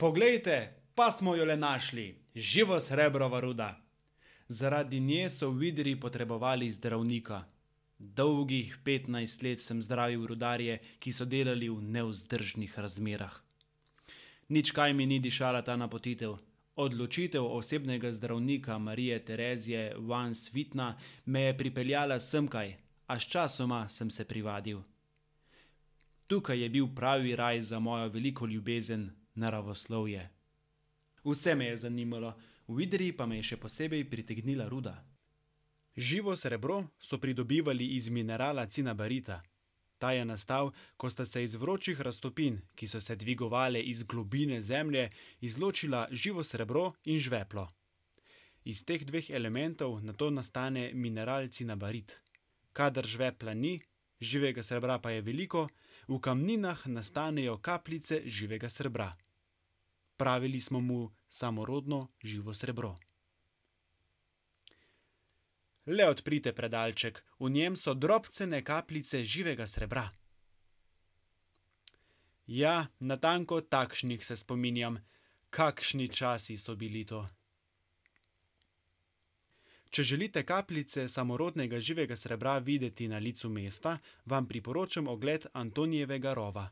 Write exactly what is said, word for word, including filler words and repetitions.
Poglejte, pa smo jo le našli, živo srebrova ruda. Zaradi nje so v Idriji potrebovali zdravnika. Dolgih petnajst let sem zdravil rudarje, ki so delali v nevzdržnih razmerah. Nič kaj mi ni dišala ta napotitev. Odločitev osebnega zdravnika Marije Terezije van Svitna me je pripeljala semkaj, a sčasoma sem se privadil. Tukaj je bil pravi raj za mojo veliko ljubezen, naravoslovje. Vse me je zanimalo, v Idriji pa me je še posebej pritegnila ruda. Živo srebro so pridobivali iz minerala cinabarita. Ta je nastal, ko sta se iz vročih raztopin, ki so se dvigovale iz globine zemlje, izločila živo srebro in žveplo. Iz teh dveh elementov nato nastane mineral cinabarit. Kadar žvepla ni, živega srebra pa je veliko, v kamninah nastanejo kapljice živega srebra. Pravili smo mu samorodno živo srebro. Le odprite predalček, v njem so drobcene kapljice živega srebra. Ja, natanko takšnih se spominjam. Kakšni časi so bili to. Če želite kapljice samorodnega živega srebra videti na licu mesta, vam priporočam ogled Antonijevega rova.